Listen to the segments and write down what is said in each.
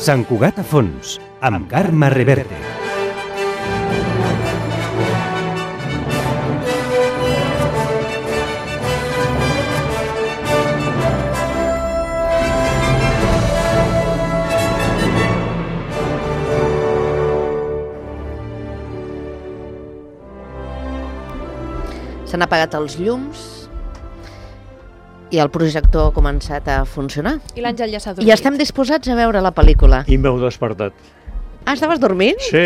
Sant Cugat a fons, amb Carme Reverte. S'han apagat els llums i el projector ha començat a funcionar. I l'Àngel ja s'ha dormit. I estem disposats a veure la pel·lícula. I m'heu despertat. Ah, estaves dormint? Sí.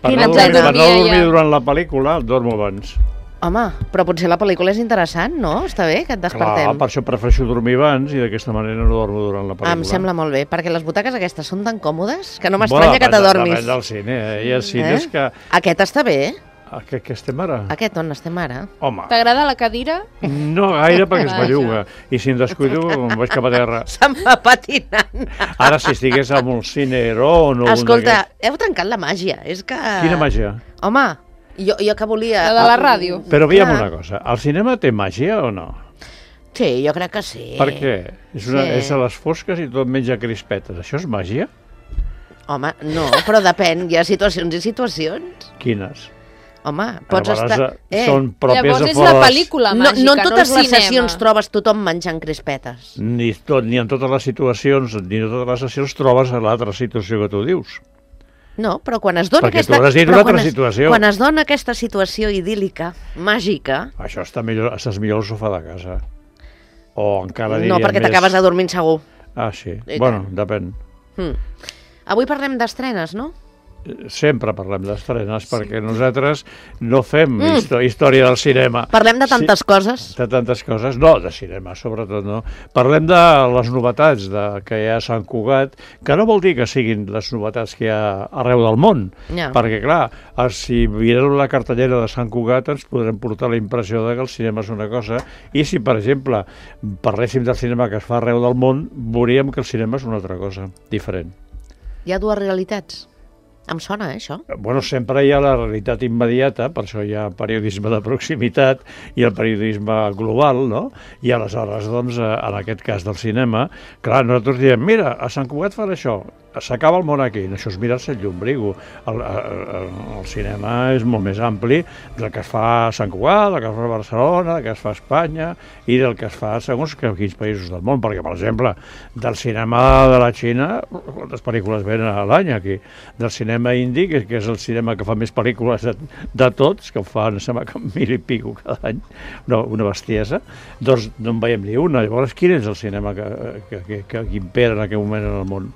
Per no dormir durant la pel·lícula, dormo abans. Home, però potser la pel·lícula és interessant, no? Està bé que et despertem. Clar, per això prefereixo dormir abans i d'aquesta manera no dormo durant la pel·lícula. Em sembla molt bé, perquè les butaques aquestes són tan còmodes que no m'estranya que t'adormis. Depèn del cine, Hi ha cines que... Aquest està bé. Què estem ara? Aquest on estem ara? Home. T'agrada la cadira? No gaire, perquè es belluga. I si em descuido, em vaig cap a terra. Se'm va patinant. Ara, si estigués en un cine Heron o Escolta, heu trencat la màgia. És que... Quina màgia? Home, jo que volia... La de la ràdio. Però veiem una cosa. El cinema té màgia o no? Sí, jo crec que sí. Per què? És a les fosques i tot menja crispetes. Això és màgia? Home, no, però depèn. Hi ha situacions i situacions. Quines? Home, pots estar... Són pròpies Llavors de és fora... la pel·lícula màgica, no en totes les cinema. sessions trobes tothom menjant crispetes. Ni en totes les situacions, ni en totes les sessions trobes a l'altra situació que tu dius. No, però quan es dona Perquè tu has dit una altra situació. Quan es dona aquesta situació idíl·lica, màgica... Això estàs millor al sofà de casa. O encara diria No, perquè més... t'acabes adormint segur. Ah, sí. Bueno, depèn. Avui parlem d'estrenes, no? Sempre parlem d'estrenes, perquè nosaltres no fem història del cinema. Parlem de tantes coses. De tantes coses. No, de cinema, sobretot, no. Parlem de les novetats que hi ha a Sant Cugat, que no vol dir que siguin les novetats que hi ha arreu del món, perquè, clar, si mirem la cartellera de Sant Cugat ens podrem portar la impressió de que el cinema és una cosa, i si, per exemple, parléssim del cinema que es fa arreu del món, veuríem que el cinema és una altra cosa, diferent. Hi ha dues realitats. Em sona, això? Bueno, sempre hi ha la realitat immediata, per això hi ha periodisme de proximitat i el periodisme global, no? I aleshores, doncs, en aquest cas del cinema, clar, nosaltres diem, mira, a Sant Cugat fan això, s'acaba el món aquí, això és mirar-se el llumbrigo. El cinema és molt més ampli del que es fa a Sant Cugat, del que es fa a Barcelona, del que es fa a Espanya i del que es fa segons quins països del món, perquè, per exemple, del cinema de la Xina, quantes pel·lícules venen a l'any aquí? Del cinema indi, que és el cinema que fa més pel·lícules de tots, que fa, em sembla que 1.000 i pico cada any, una bestiesa, doncs no en veiem ni una. Llavors, quin és el cinema que impera en aquest moment en el món?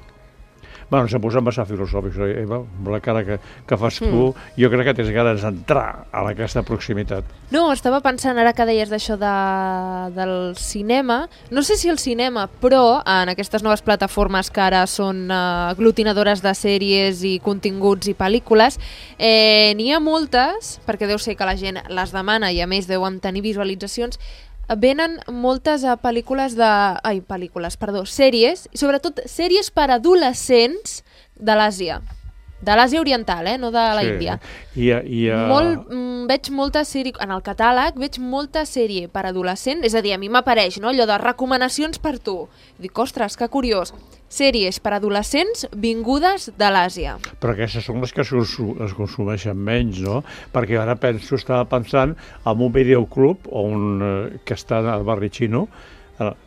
Bueno, s'ha posat massa filosòfic, Eva, amb la cara que fas tu, jo crec que tens ganes d'entrar a aquesta proximitat. No, estava pensant, ara que deies d'això del cinema, no sé si el cinema, però en aquestes noves plataformes que ara són aglutinadores de sèries i continguts i pel·lícules, n'hi ha moltes, perquè deu ser que la gent les demana i a més deuen tenir visualitzacions, venen moltes sèries, i sobretot sèries per adolescents de l'Àsia. De l'Àsia Oriental, no de la Índia. Veig molta sèrie, en el catàleg veig molta sèrie per adolescent, és a dir, a mi m'apareix allò de recomanacions per tu. Dic, ostres, que curiós. Sèries per adolescents vingudes de l'Àsia. Però aquestes són les que es consumeixen menys, no? Perquè ara estava pensant en un videoclub que està al barri xino, jo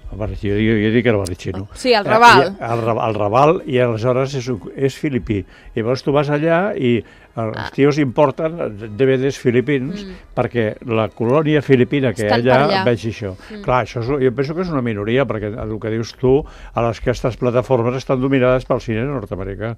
dic que era barri xino. Sí, al Raval. Al Raval, i aleshores és filipí. Llavors tu vas allà i els tios importen DVDs filipins perquè la colònia filipina que hi ha allà vegi això. Clar, això jo penso que és una minoria, perquè el que dius tu, aquestes plataformes estan dominades pel cine nord-americà,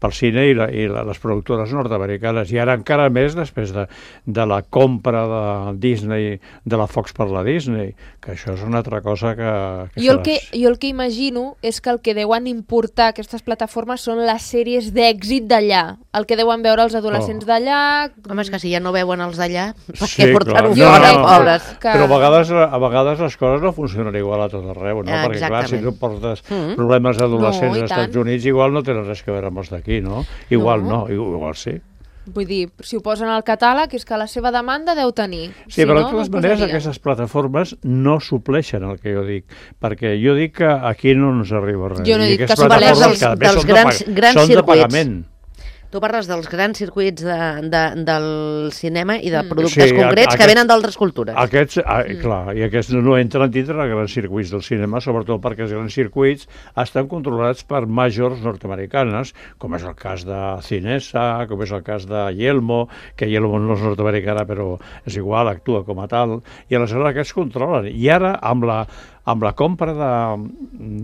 pel cine i les productores nord-americanes, i ara encara més després de la compra de Disney, de la Fox per la Disney, que això és una altra cosa que... Jo el que imagino és que el que deuen importar aquestes plataformes són les sèries d'èxit d'allà, el que deuen veure els adolescents d'allà... Home, és que si ja no veuen els d'allà, per què portar-ho fora, pobres? Però a vegades les coses no funcionen igual a tot arreu, no? Perquè, clar, si tu portes problemes d'adolescents als Estats Units, igual no tenen res a veure amb els d'aquí, no? Igual no, igual sí. Vull dir, si ho posen al catàleg és que la seva demanda deu tenir. Sí, però de no, totes no maneres posaria. aquestes plataformes no supleixen el que jo dic, perquè jo dic que aquí no ens arriba res. Jo no I dic aquestes que plataformes supleixi. cada mes Dels són de grans són de circuits. pagament. Tu parles dels grans circuits del cinema i de Mm. productes Sí, concrets que aquest- venen d'altres cultures. Aquests, clar, i aquests no entren dintre dels grans circuits del cinema, sobretot perquè els grans circuits estan controlats per majors nord-americanes, com és el cas de Cinesa, com és el cas de Yelmo, que Yelmo no és nord-americana, però és igual, actua com a tal, i aleshores aquests controlen. I ara, amb la compra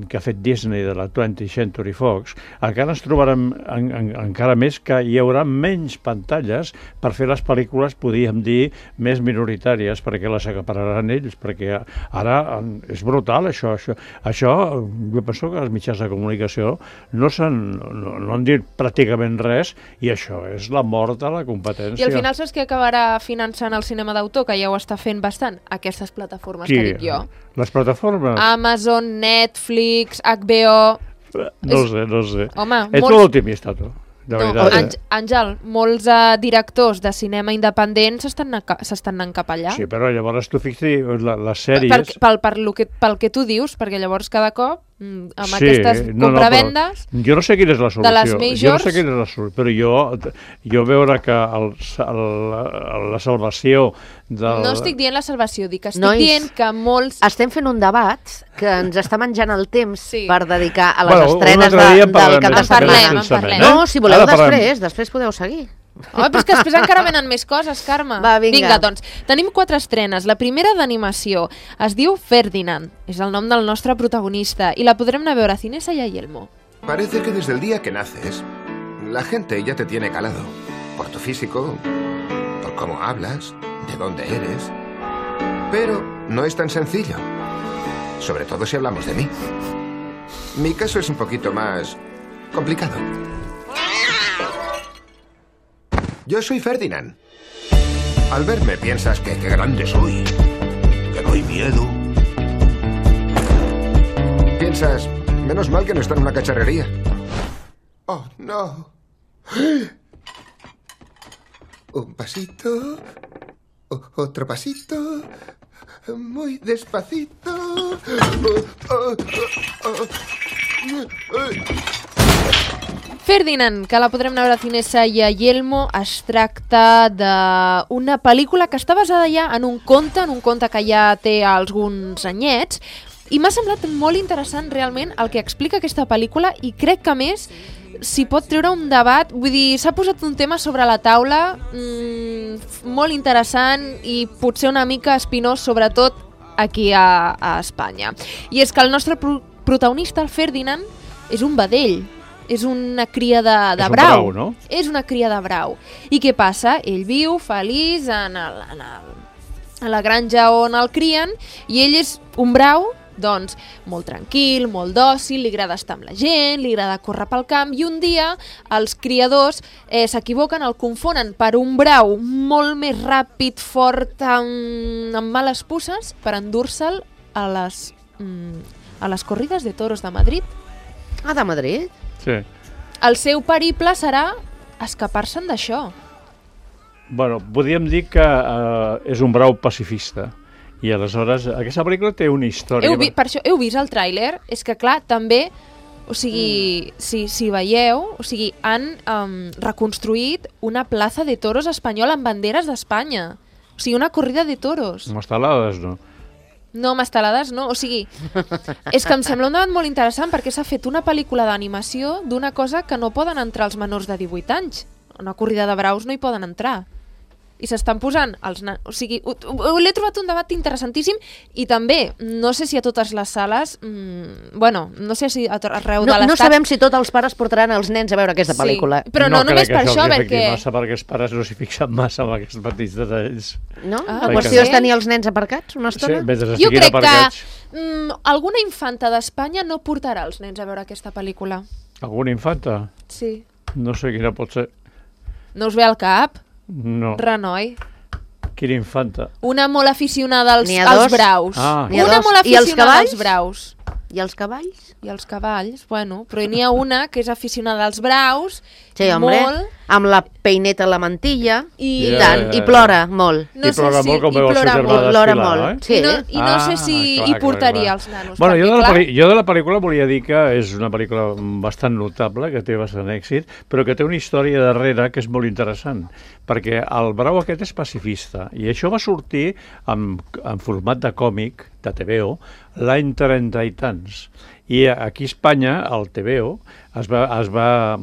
que ha fet Disney de la 20th Century Fox, encara ens trobarem encara més que hi haurà menys pantalles per fer les pel·lícules, podríem dir, més minoritàries, perquè les acapararan ells, perquè ara és brutal això. Això jo penso que els mitjans de comunicació no han dit pràcticament res, i això és la mort de la competència. I al final saps que acabarà finançant el cinema d'autor, que ja ho està fent bastant? Aquestes plataformes que dic jo. Les plataformes? Amazon, Netflix, HBO... No sé. Home, Ets molt optimista, tu. De veritat, Àngel, molts directors de cinema independents s'estan anant cap allà. Sí, però llavors tu fixi les sèries... Pel que tu dius, perquè llavors cada cop amb aquestes compravendes... Jo no sé quina és la solució. De les majors... Jo no sé quina és la solució, però jo veure que la salvació del... No estic dient la salvació, estic Nois, dient que molts... Estem fent un debat que ens està menjant el temps Sí. per dedicar a les Bueno, estrenes un altre dia del parlem cap de En parlem, setmana. en parlem. No, si voleu Ara parlem. després podeu seguir. Home, però és que després encara venen més coses, Carme. Va, vinga. Doncs, tenim 4 estrenes. La primera d'animació es diu Ferdinand, és el nom del nostre protagonista, i la podrem anar a veure a Cinesa i a Yelmo. Parece que desde el día que naces, la gente ya te tiene calado. Por tu físico, por cómo hablas, de dónde eres. Pero no es tan sencillo. Sobre todo si hablamos de mí. Mi caso es un poquito más complicado. Yo soy Ferdinand. Al verme piensas que qué grande soy, que doy miedo. Piensas, menos mal que no está en una cacharrería. Oh, no. Un pasito, otro pasito, muy despacito. Ferdinand, que la podrem anar a veure a Cinesa i a Yelmo, es tracta d'una pel·lícula que està basada ja en un conte que ja té alguns anyets, i m'ha semblat molt interessant realment el que explica aquesta pel·lícula, i crec que a més s'hi pot treure un debat, vull dir, s'ha posat un tema sobre la taula molt interessant i potser una mica espinós, sobretot aquí a Espanya. I és que el nostre protagonista, el Ferdinand, és un vedell, és una cria de És un brau. brau, no? És una cria de brau. I què passa? Ell viu feliç a la granja on el crien, i ell és un brau, doncs, molt tranquil, molt dòcil, li agrada estar amb la gent, li agrada córrer pel camp, i un dia els criadors s'equivoquen, el confonen per un brau molt més ràpid, fort, amb males puces, per endur-se'l a les corrides de toros de Madrid. Ah, de Madrid? Sí. El seu periple serà escapar-se'n d'això. Bueno, podríem dir que és un brau pacifista. I aleshores, aquesta pel·lícula té una història... Per això heu vist el tràiler? És que, clar, també, o sigui, si veieu, o sigui, han reconstruït una plaça de toros espanyola amb banderes d'Espanya. O sigui, una corrida de toros. Amb estelades, no? No, amb estelades no, o sigui, és que em sembla un debat molt interessant perquè s'ha fet una pel·lícula d'animació d'una cosa que no poden entrar els menors de 18 anys. Una corrida de braus no hi poden entrar. I s'estan posant els o sigui, l'he trobat un debat interessantíssim, i també, no sé si a totes les sales, bueno, no sé si arreu de l'estat... No sabem si tots els pares portaran els nens a veure aquesta pel·lícula. Però no només per això, perquè... massa, perquè els pares no s'hi fixen massa amb aquests petits detalls. No? Ah, La perquè qüestió no. és tenir els nens aparcats una Sí, estona? mentre Jo estiguin crec aparcats. que alguna infanta d'Espanya no portarà els nens a veure aquesta pel·lícula. Alguna infanta? Sí. No sé quina pot ser. No us ve al cap? No. Renoi. Quina infanta? Una molt aficionada als N'hi ha dos. braus. Ah. N'hi ha Una dos. molt I els aficionada cavalls? als braus. I els cavalls? I els cavalls, bueno, però n'hi ha una que és aficionada als braus, Sí, home, molt, amb la peineta a la mantilla, i tant, i plora molt. I plora molt com veu el seu germà Plora desfilar, molt, eh? sí. no sé si hi portaria els nanos. Bueno, perquè, jo de la pel·lícula volia dir que és una pel·lícula bastant notable, que té bastant èxit, però que té una història darrere que és molt interessant, perquè el brau aquest és pacifista, i això va sortir en format de còmic, de TVO, l'any 30 i tants. I aquí a Espanya, el TVO, es va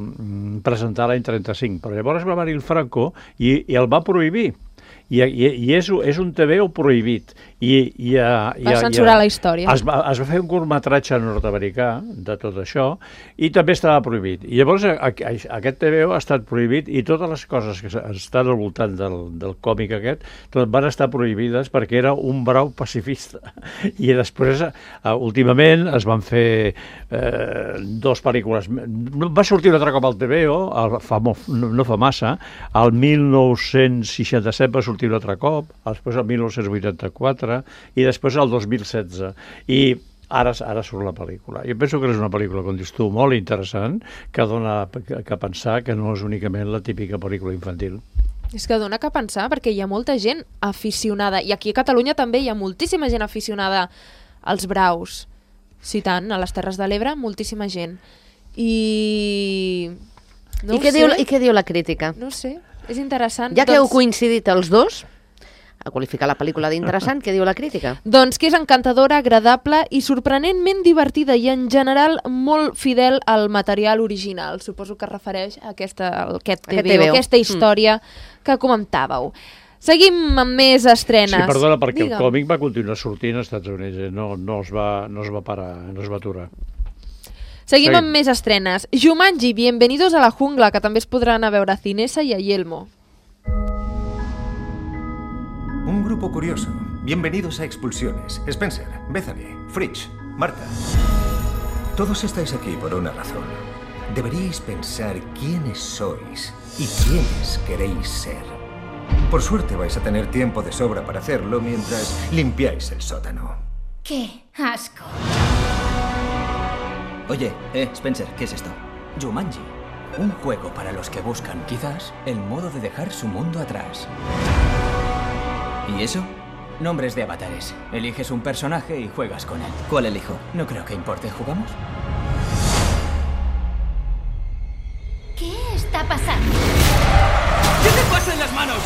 presentar l'any 35, però llavors va venir el Franco i el va prohibir. I és un TVO prohibit. va censurar la història. Es va fer un curtmetratge nord-americà de tot això i també estava prohibit. I llavors aquest TVO ha estat prohibit i totes les coses que estan al voltant del còmic aquest van estar prohibides perquè era un brau pacifista. I després, últimament, es van fer dues pel·lícules. Va sortir un altre cop al TVO, no fa massa, el 1967 va sortir un altre cop, després el 1984 i després el 2016. I ara surt la pel·lícula. Jo penso que és una pel·lícula, com dius tu, molt interessant, que dona que pensar que no és únicament la típica pel·lícula infantil. És que dona que pensar, perquè hi ha molta gent aficionada, i aquí a Catalunya també hi ha moltíssima gent aficionada als braus. Sí, tant, a les Terres de l'Ebre, moltíssima gent. I què diu la crítica? No sé, és interessant. Ja que heu coincidit els dos a qualificar la pel·lícula d'interessant, què diu la crítica? Doncs que és encantadora, agradable i sorprenentment divertida i en general molt fidel al material original. Suposo que es refereix a aquest TVO, aquesta història que comentàveu. Seguim amb més estrenes. Sí, perdona, perquè el còmic va continuar sortint als Estats Units, no es va parar, no es va aturar. Seguim amb més estrenes. Jumanji, Bienvenidos a la Jungla, que també es podran anar a veure a Cinesa y a Yelmo. Un grupo curioso. Bienvenidos a Expulsiones. Spencer, Bethany, Fritz, Marta. Todos estáis aquí por una razón. Deberíais pensar quiénes sois y quiénes queréis ser. Por suerte vais a tener tiempo de sobra para hacerlo mientras limpiáis el sótano. ¡Qué asco! Oye, Spencer, ¿qué es esto? Jumanji. Un juego para los que buscan, quizás, el modo de dejar su mundo atrás. ¿Y eso? Nombres de avatares. Eliges un personaje y juegas con él. ¿Cuál elijo? No creo que importe. ¿Jugamos? ¿Qué está pasando? ¿Qué te pasa en las manos?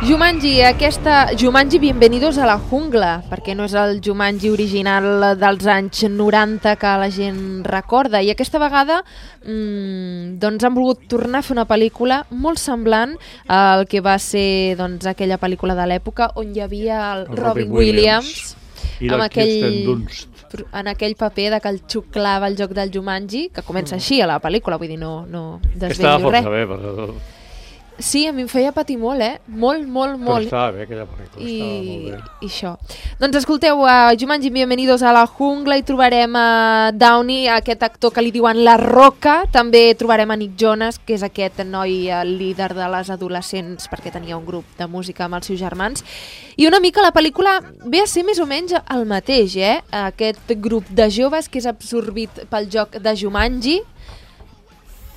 Jumanji, Bienvenidos a la Jungla, perquè no és el Jumanji original dels anys 90 que la gent recorda, i aquesta vegada doncs han volgut tornar a fer una pel·lícula molt semblant al que va ser aquella pel·lícula de l'època on hi havia el Robin Williams i amb Kirsten Dunst en aquell paper de que el xuclava el joc del Jumanji, que comença així a la pel·lícula, vull dir, no desvetllo res. Estava força bé, però... Sí, a mi em feia patir molt, Molt. Però estava bé, aquella pel·lícula, estava molt bé. I això. Doncs escolteu, a Jumanji, Bienvenidos a la Jungla, i trobarem a Downey, aquest actor que li diuen La Roca, també trobarem a Nick Jonas, que és aquest noi líder de les adolescents, perquè tenia un grup de música amb els seus germans, i una mica la pel·lícula ve a ser més o menys el mateix, aquest grup de joves que és absorbit pel joc de Jumanji,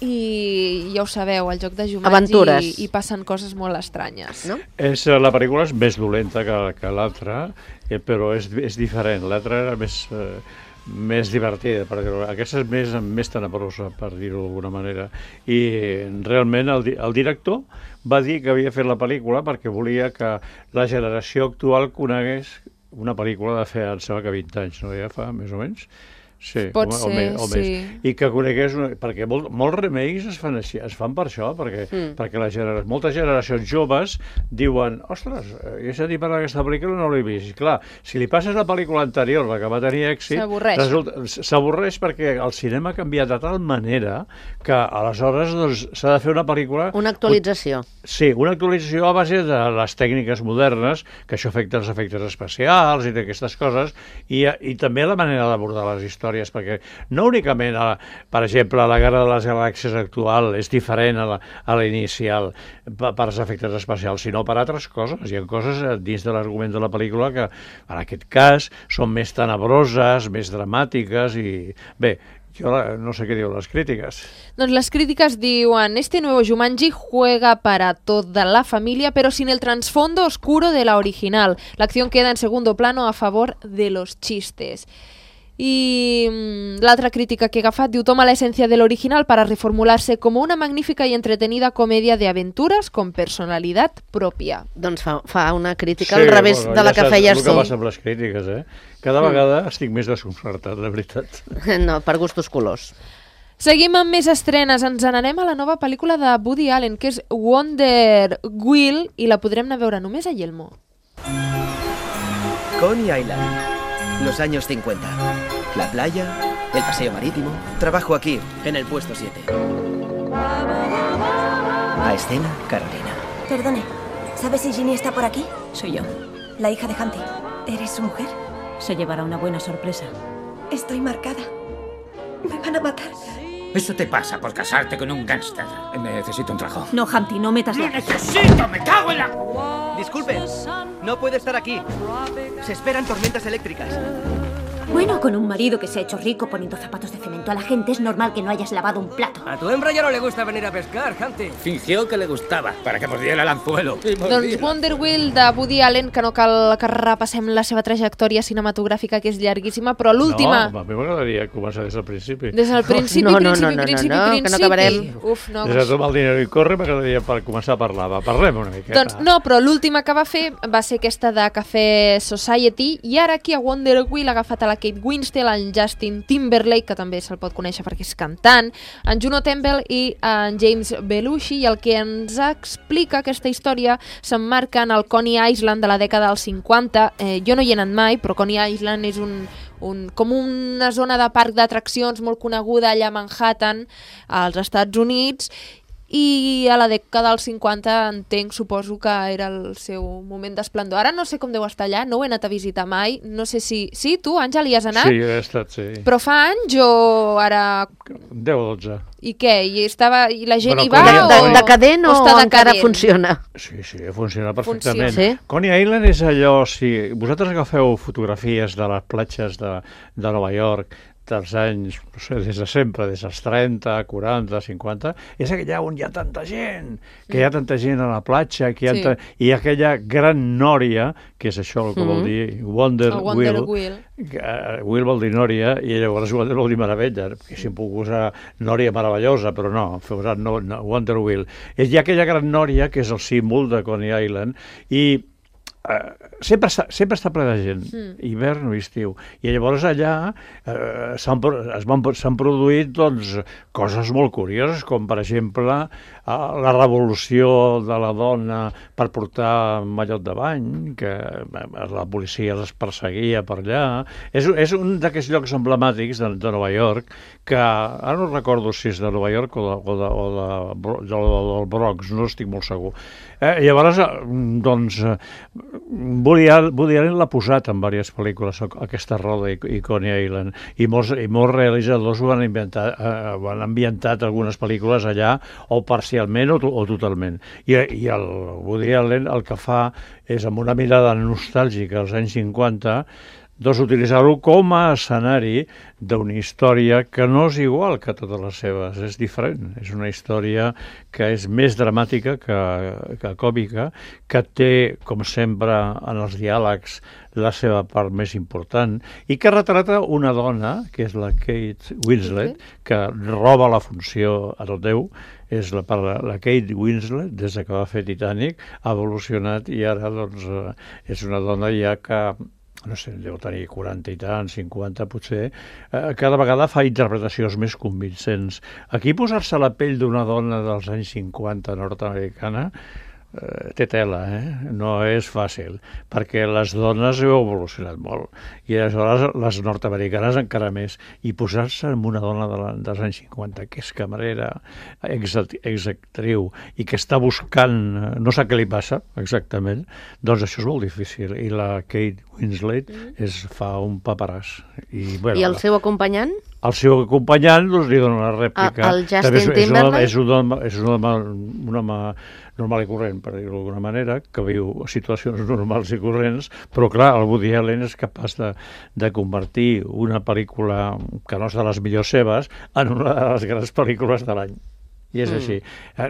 i ja ho sabeu, el joc de Jumanji i passen coses molt estranyes. No? La pel·lícula és més dolenta que l'altra, però és diferent. L'altra era més divertida, aquesta és més tenebrosa, per dir-ho d'alguna manera. I realment el director va dir que havia fet la pel·lícula perquè volia que la generació actual conegués una pel·lícula de fer, em sembla que 20 anys, no? Ja fa, més o menys. Sí, pot ser, o més. I que conegués, perquè molts remakes es fan així, es fan per això, perquè moltes generacions joves diuen, ostres, he sentit parlar d'aquesta pel·lícula i no l'he vist. I clar, si li passes la pel·lícula anterior, la que va tenir èxit, s'avorreix perquè el cinema ha canviat de tal manera que aleshores s'ha de fer una pel·lícula... Una actualització. Sí, una actualització a base de les tècniques modernes, que això afecta els efectes especials i d'aquestes coses, i també la manera d'abordar les històries històries, perquè no únicament, per exemple, la Guerra de les Galàxies actual és diferent a la inicial per als efectes especials, sinó per altres coses. Hi ha coses dins de l'argument de la pel·lícula que, en aquest cas, són més tenebroses, més dramàtiques i... Bé, jo no sé què diuen les crítiques. Doncs les críticas diuen: este nuevo Jumanji juega para toda la familia, pero sin el trasfondo oscuro de la original. La acción queda en segundo plano a favor de los chistes. Y l'altra crítica que he agafat diu: toma la esencia del original para reformularse como una magnífica y entretenida comedia de aventuras con personalidad propia. Doncs fa una crítica al revés de la que feies tu. El que passa amb les crítiques, Cada vegada estic més desconcertat, la veritat. No, per gustos colors. Seguim amb més estrenes. Ens n'anem a la nova pel·lícula de Woody Allen, que és Wonder Wheel, i la podrem anar a veure només a Yelmo. Coney Island, los años 50. La playa, el paseo marítimo. Trabajo aquí, en el puesto 7. A escena, Carolina. Perdone, ¿sabe si Ginny está por aquí? Soy yo. La hija de Humpty. ¿Eres su mujer? Se llevará una buena sorpresa. Estoy marcada. Me van a matar. Eso te pasa por casarte con un gángster. Necesito un trabajo. No, Humpty, no metas la... ¡Lo necesito! ¡Me cago en la...! Disculpe, no puede estar aquí. Se esperan tormentas eléctricas. Bueno, con un marido que se ha hecho rico poniendo zapatos de cemento a la gente, es normal que no hayas lavado un plato. A tu hembra ya no le gusta venir a pescar, Humpty. Fingió que le gustava, para que mordiera el anzuelo. Doncs Wonder Wheel de Woody Allen, que no cal que repassem la seva trajectòria cinematogràfica, que és llarguíssima, però l'última... No, a mi m'agradaria començar des del principi. Des del principi, no, principi. Que no acabarem. Uf, no. Des de tot el dinero i corre m'agradaria per començar a parlar. Parlem una miqueta. Doncs no, però l'última que va fer va ser aquesta de Café Society, i ara aquí a Wonder Wheel ha agafat a la Kate Winslet, en Justin Timberlake, que també se'l pot conèixer perquè és cantant, en Juno Temple i en James Belushi, i el que ens explica aquesta història s'emmarca en el Coney Island de la dècada dels 50. Jo no hi he anat mai, però Coney Island és com una zona de parc d'atraccions molt coneguda allà a Manhattan, als Estats Units, i a la dècada dels 50 entenc, suposo que era el seu moment d'esplendor. Ara no sé com deu estar allà, no ho he anat a visitar mai, no sé si... Sí, tu, Àngel, hi has anat? Sí, he estat, sí. Però fa anys o ara... 10 o 12. I què? I la gent hi va decadent o encara funciona? Sí, funciona perfectament. Sí? Coney Island és allò, si vosaltres agafeu fotografies de les platges de Nova York dels anys, no sé, des de sempre, des dels 30, 40, 50, és allà on hi ha tanta gent, que hi ha tanta gent a la platja, que hi ha i aquella gran nòria, que és això el que vol dir Wonder Wheel. Wheel vol dir nòria, i llavors Wonder vol dir meravella, que si em puc usar nòria meravellosa, però no, Wonder Wheel. Hi ha aquella gran nòria, que és el símbol de Coney Island, i sempre està ple de gent, hivern o estiu, i llavors allà s'han produït coses molt curioses, com per exemple la revolució de la dona per portar mallot de bany, que la policia les perseguia per allà. És un d'aquests llocs emblemàtics de Nova York, que ara no recordo si és de Nova York o del Bronx, no estic molt segur. Llavors, doncs, Woody Allen l'ha posat en diverses pel·lícules, aquesta roda i Coney Island, i molts realitzadors ho han ambientat algunes pel·lícules allà, o parcialment o totalment. I el Woody Allen el que fa és, amb una mirada nostàlgica als anys 50, utilitzar-ho com a escenari d'una història que no és igual que totes les seves, és diferent. És una història que és més dramàtica que còmica, que té, com sempre, en els diàlegs la seva part més important, i que retrata una dona, que és la Kate Winslet, que roba la funció a tot Déu. És la Kate Winslet, des que va fer Titanic, ha evolucionat i ara és una dona ja que, no sé, deu tenir 40 i tant, 50 potser, cada vegada fa interpretacions més convincents. Aquí posar-se a la pell d'una dona dels anys 50 nord-americana té tela, no és fàcil, perquè les dones heu evolucionat molt, i aleshores les nord-americanes encara més, i posar-se en una dona dels anys 50, que és camarera, exactriu, i que està buscant, no sap què li passa exactament, doncs això és molt difícil, i la Kate Winslet fa un paperàs. I el seu acompanyant? El seu acompanyant li dona una rèplica. El Justin Timberlake? És un home normal i corrent, per dir-ho d'alguna manera, que viu situacions normals i corrents, però clar, el Woody Allen és capaç de convertir una pel·lícula que no és de les millors seves en una de les grans pel·lícules de l'any. I és així.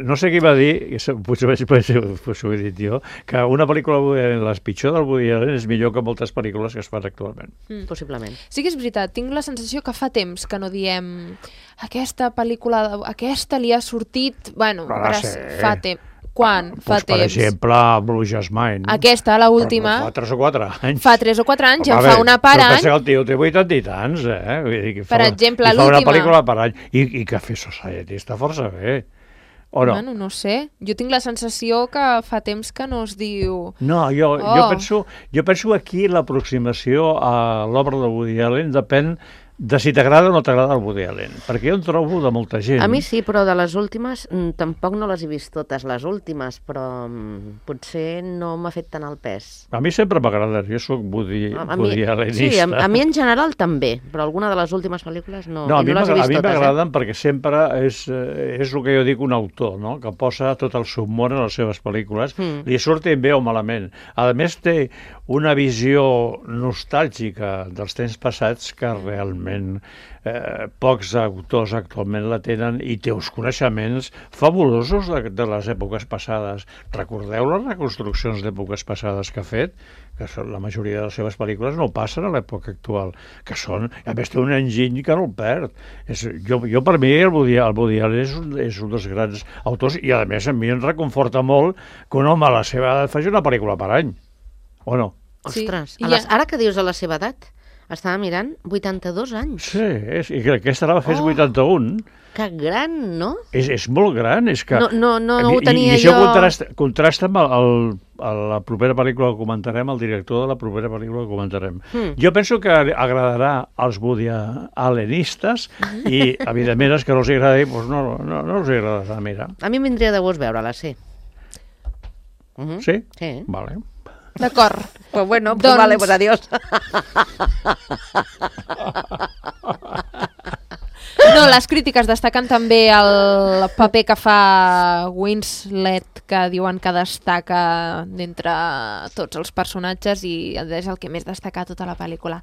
No sé qui va dir, potser ho he dit jo, que una pel·lícula de Woody Allen, la pitjor del Woody Allen, és millor que moltes pel·lícules que es fan actualment. Possiblement. Sí que és veritat, tinc la sensació que fa temps que no diem aquesta pel·lícula, aquesta li ha sortit... Bueno, fa temps. Quan? Fa temps. Per exemple, Blue Jasmine. Aquesta, l'última. Fa 3 o 4 anys. Fa 3 o 4 anys, ja fa una per any. Però el tio té 80 i tants, Per exemple, l'última. I fa una pel·lícula per any. I Café Society està força bé. O no? Bueno, no sé. Jo tinc la sensació que fa temps que no es diu... No, jo penso aquí l'aproximació a l'obra de Woody Allen depèn de si t'agrada o no t'agrada el Woody Allen, perquè jo en trobo de molta gent. A mi sí, però de les últimes tampoc no les he vist totes, les últimes, però potser no m'ha fet tant el pes. A mi sempre m'agrada, jo soc Woody Allenista. Sí, a mi en general també, però alguna de les últimes pel·lícules no les he vist totes. A mi m'agraden perquè sempre és el que jo dic un autor, no? Que posa tot el seu món en les seves pel·lícules, li surtin bé o malament. A més té una visió nostàlgica dels temps passats que realment pocs autors actualment la tenen i té uns coneixements fabulosos de les èpoques passades. Recordeu les reconstruccions d'èpoques passades que ha fet? Que la majoria de les seves pel·lícules no passen a l'època actual, que són, a més té un enginy que no el perd. Jo per mi el Woody Allen és un dels grans autors i a més a mi em reconforta molt que un home a la seva edat faci una pel·lícula per any, o no? Ostres, ara que dius a la seva edat, estava mirant 82 anys. Sí, i que aquesta la va fer 81. Que gran, no? És molt gran, és que... No ho tenia jo... I això contrasta amb la propera pel·lícula que comentarem, el director de la propera pel·lícula que comentarem. Jo penso que agradarà als Woody Allenistes i, evidentment, els que no els agradi, doncs no els agradarà, mira. A mi em vindria de gust veure-la, sí. Sí? Sí. Vale. D'acord. Pues bueno, pues vale, pues adiós. No, les crítiques destaquen també el paper que fa Winslet, que diuen que destaca d'entre tots els personatges i és el que més destaca tota la pel·lícula.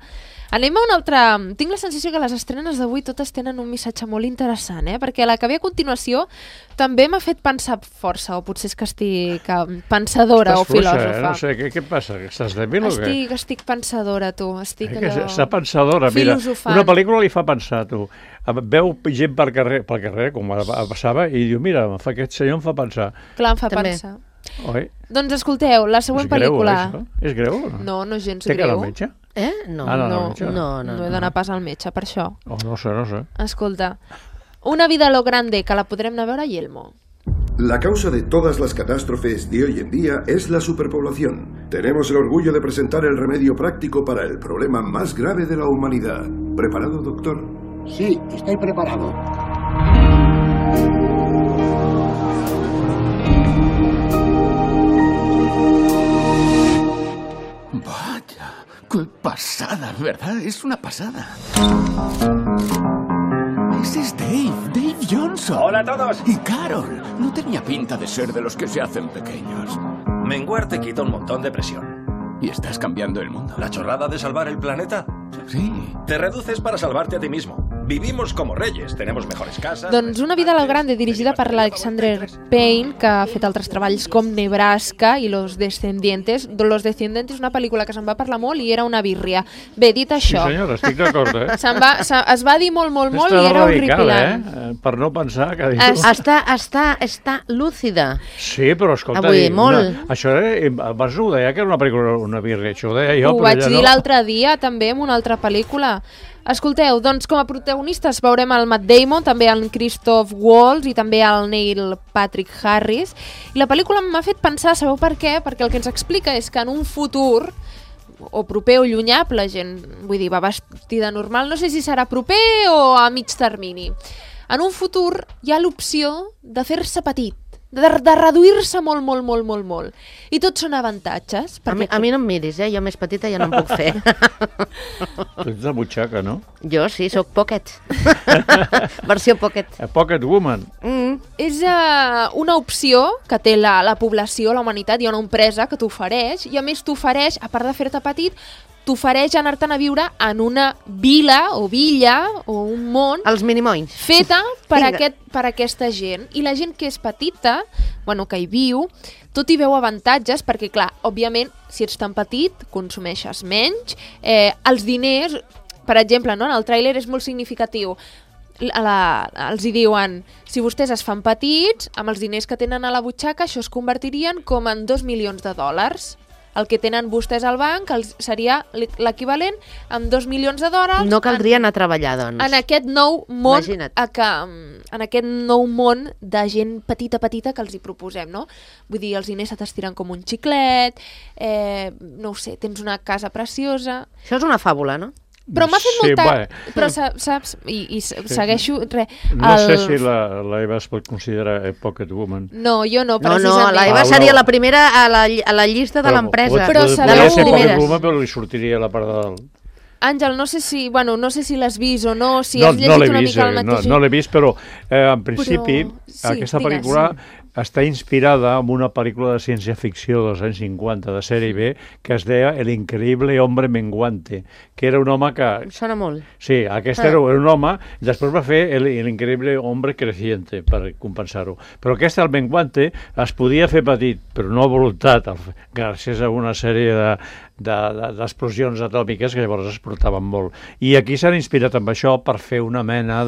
Anem a una altra... Tinc la sensació que les estrenes d'avui totes tenen un missatge molt interessant, perquè la que ve a continuació també m'ha fet pensar força, o potser és que estic pensadora o filòsofa. No sé, què passa? Estàs dèbil o què? Estic pensadora, tu. Estic allò... Està pensadora, mira. Una pel·lícula li fa pensar, tu. Veu gent pel carrer, com passava, i diu, mira, aquest senyor em fa pensar. Clar, em fa pensar. Oi? Doncs escolteu, la següent pel·lícula... És greu? No, no és gens greu. Té cara al metge? No he d'anar pas al metge, per això. No sé. Escolta, Una vida a lo grande, que la podrem anar a veure a Yelmo. La causa de todas las catástrofes de hoy en día es la superpoblación. Tenemos el orgullo de presentar el remedio práctico para el problema más grave de la humanidad. ¿Preparado, doctor? Sí, estoy preparado. Vaya, qué pasada, ¿verdad? Es una pasada. Ese es Dave Johnson. Hola a todos. Y Carol. No tenía pinta de ser de los que se hacen pequeños. Menguar te quita un montón de presión. Y estás cambiando el mundo. ¿La chorrada de salvar el planeta? Sí. Te reduces para salvarte a ti mismo. Vivimos como reyes, tenemos mejores casas... Doncs Una vida a lo grande, dirigida per l'Alexander Payne, que ha fet altres treballs com Nebraska i Los Descendientes. Los Descendientes és una pel·lícula que se'n va parlar molt i era una birria. Bé, dit això... Sí, senyora, estic d'acord, es va dir molt i era horripilant. Per no pensar que... Està lúcida. Sí, però escolta... Avui, molt. Això abans ho deia que era una pel·lícula, una birria, això ho deia jo. Ho vaig dir l'altre dia també en una altra pel·lícula. Escolteu, doncs com a protagonistes veurem el Matt Damon, també el Christoph Waltz i també el Neil Patrick Harris. I la pel·lícula m'ha fet pensar, sabeu per què? Perquè el que ens explica és que en un futur, o proper o llunyà, la gent, vull dir, va vestida normal, no sé si serà proper o a mig termini. En un futur hi ha l'opció de fer-se petit, de reduir-se molt, molt, molt, molt, molt. I tots són avantatges. A mi no em miris, jo més petita ja no em puc fer. Tu ets de butxaca, no? Jo sí, sóc pocket. Versió pocket. A pocket woman. És una opció que té la població, la humanitat, hi ha una empresa que t'ofereix, i a més t'ofereix, a part de fer-te petit, t'ofereix anar-te'n a viure en una vila o villa o un món... Els minimoins. Feta per aquesta gent. I la gent que és petita, que hi viu, tot hi veu avantatges, perquè, clar, òbviament, si ets tan petit, consumeixes menys. Els diners, per exemple, no? En el tràiler és molt significatiu. Els hi diuen, si vostès es fan petits, amb els diners que tenen a la butxaca, això es convertirien com en $2 milions. El que tenen vostès al banc seria l'equivalent amb $2 milions. No caldria anar a treballar, doncs. En aquest nou món, en aquest nou món de gent petita que els hi proposem, no? Vull dir, els diners se t'estiren com un xiclet, no ho sé, tens una casa preciosa... Això és una fàbula, no? Però m'ha fet molta... Però saps, i segueixo... No sé si la Eva es pot considerar pocket woman. No, jo no, precisament. No, la Eva seria la primera a la llista de l'empresa. Podria ser pocket woman, però li sortiria la part de dalt. Àngel, no sé si l'has vist o no, si has llegit una mica el mateix. No l'he vist, però en principi aquesta pel·lícula està inspirada en una pel·lícula de ciència-ficció dels anys 50 de sèrie B que es deia El increïble hombre menguante, que era un home que... Sona molt. Sí, aquest era un home, després va fer El increïble hombre creciente per compensar-ho. Però aquest, el menguante, es podia fer petit, però no a voluntat, gràcies a una sèrie d'explosions atòmiques que llavors es portaven molt. I aquí s'han inspirat amb això per fer una mena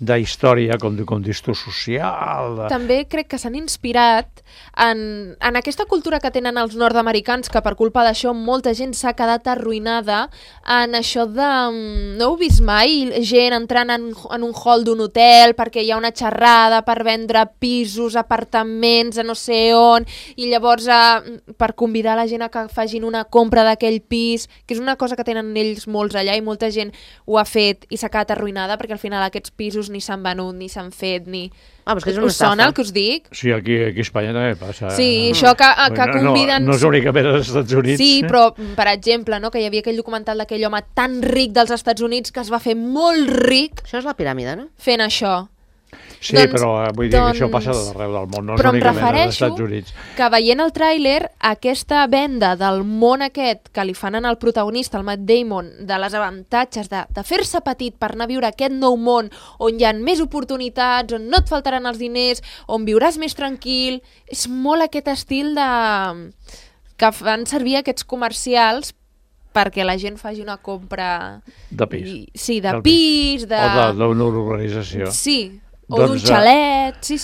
d'història com distor social. També crec que s'han inspirat en aquesta cultura que tenen els nord-americans, que per culpa d'això molta gent s'ha quedat arruïnada, en això de... No heu vist mai gent entrant en un hall d'un hotel perquè hi ha una xerrada per vendre pisos, apartaments, a no sé on, i llavors per convidar la gent a que facin una compra d'aquell pis, que és una cosa que tenen ells molts allà i molta gent ho ha fet i s'ha quedat arruïnada perquè al final aquests pisos ni s'han venut, ni s'han fet, ni... Us sona el que us dic? Sí, aquí a Espanya també passa. Sí, això que conviden... No és únicament als Estats Units. Sí, però, per exemple, que hi havia aquell documental d'aquell home tan ric dels Estats Units que es va fer molt ric... Això és la piràmide, no? Fent això. Sí, però vull dir que això passa d'arreu del món, no és únicament als Estats Units. Que veient el tràiler, aquesta venda del món aquest que li fan al protagonista, el Matt Damon, de les avantatges de fer-se petit per anar a viure aquest nou món on hi ha més oportunitats, on no et faltaran els diners, on viuràs més tranquil, és molt aquest estil que fan servir aquests comercials perquè la gent faci una compra... De pis. Sí, de pis, de... O d'una organització. Sí, o d'un xalet, sí.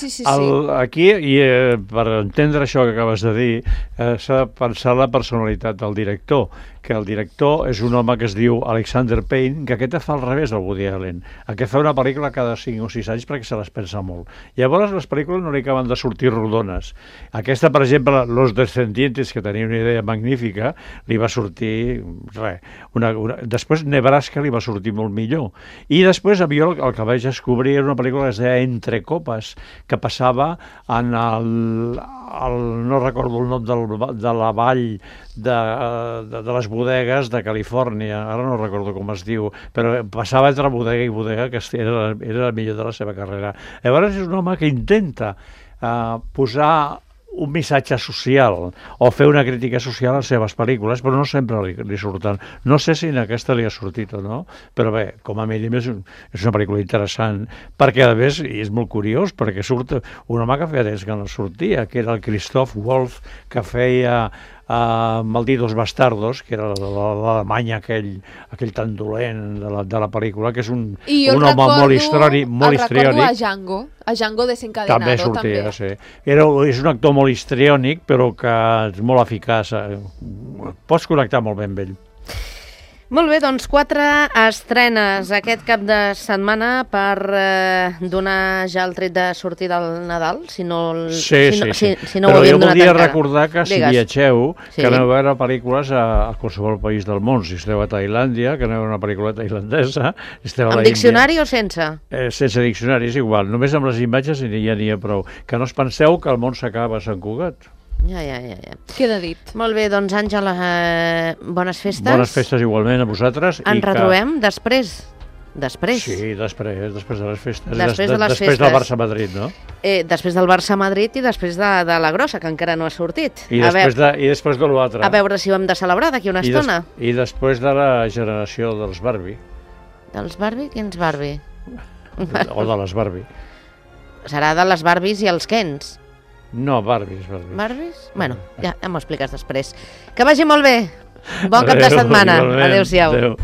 Aquí, i per entendre això que acabes de dir, s'ha de pensar la personalitat del director, que el director és un home que es diu Alexander Payne, que aquest fa al revés del Woody Allen. Aquest fa una pel·lícula cada 5 o 6 anys perquè se les pensa molt. Llavors les pel·lícules no li acaben de sortir rodones. Aquesta, per exemple, Los Descendientes, que tenia una idea magnífica, li va sortir res. Després Nebraska li va sortir molt millor. I després jo el que vaig descobrir era una pel·lícula que es deia Entre copes, que passava en no recordo el nom de la vall de les bodegues de Califòrnia, ara no recordo com es diu, però passava entre bodega i bodega, que era la millor de la seva carrera. Llavors és un home que intenta posar un missatge social o fer una crítica social a les seves pel·lícules, però no sempre li surten. No sé si en aquesta li ha sortit o no, però bé, com a mínim és una pel·lícula interessant, perquè a més, i és molt curiós, perquè surt un home que feia temps que no sortia, que era el Christoph Waltz, que feia Malditos Bastardos, que era l'Alemanya aquell tan dolent de la pel·lícula, que és un home molt histriònic. El recordo a Django Desencadenado. També sortia, sí. És un actor molt histriònic, però que és molt eficaç. Pots connectar molt bé amb ell. Molt bé, doncs 4 estrenes aquest cap de setmana per donar ja el tret de sortir del Nadal, si no ho havíem donat encara. Però jo voldria recordar que si viatgeu, Sí. que aneu a veure pel·lícules a qualsevol país del món. Si esteu a Tailàndia, que aneu a una pel·lícula tailandesa, esteu a Amb l'Índia. diccionari o sense? Sense diccionari, és igual. Només amb les imatges ja n'hi ha prou. Que no us penseu que el món s'acaba a Sant Cugat. Ja. Queda dit. Molt bé, doncs Àngela, bones festes. Bones festes igualment a vosaltres. Ens retrobem després. Sí, després de les festes. Després de les després festes. del Barça-Madrid, no? Després del Barça-Madrid i després de la grossa, que encara no ha sortit. I després de l'altre. A veure si ho hem de celebrar d'aquí una estona. I després de la generació dels Barbie. Dels Barbie? Quins Barbie? O de les Barbie. Serà de les Barbies i els Kens. No, Barbies. Barbies? Bueno, ja m'ho expliques després. Que vagi molt bé. Bon cap de setmana. Adéu-siau. Adéu.